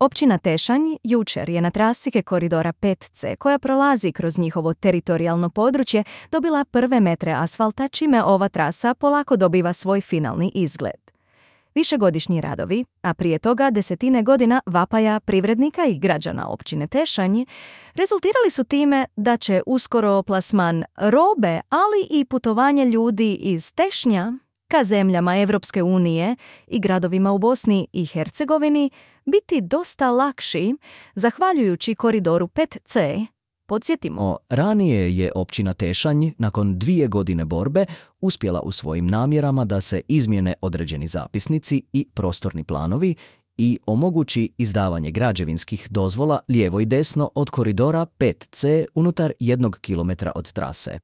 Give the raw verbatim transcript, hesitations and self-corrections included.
Općina Tešanj jučer je na trasi koridora pet ce, koja prolazi kroz njihovo teritorijalno područje, dobila prve metre asfalta, čime ova trasa polako dobiva svoj finalni izgled. Višegodišnji radovi, a prije toga desetine godina vapaja privrednika i građana općine Tešanj, rezultirali su time da će uskoro plasman robe, ali i putovanje ljudi iz Tešnja ka zemljama Evropske unije i gradovima u Bosni i Hercegovini biti dosta lakši zahvaljujući koridoru pet ce. Podsjetimo, ranije je općina Tešanj nakon dvije godine borbe uspjela u svojim namjerama da se izmjene određeni zapisnici i prostorni planovi i omogući izdavanje građevinskih dozvola lijevo i desno od koridora pet ce unutar jednog kilometra od trase.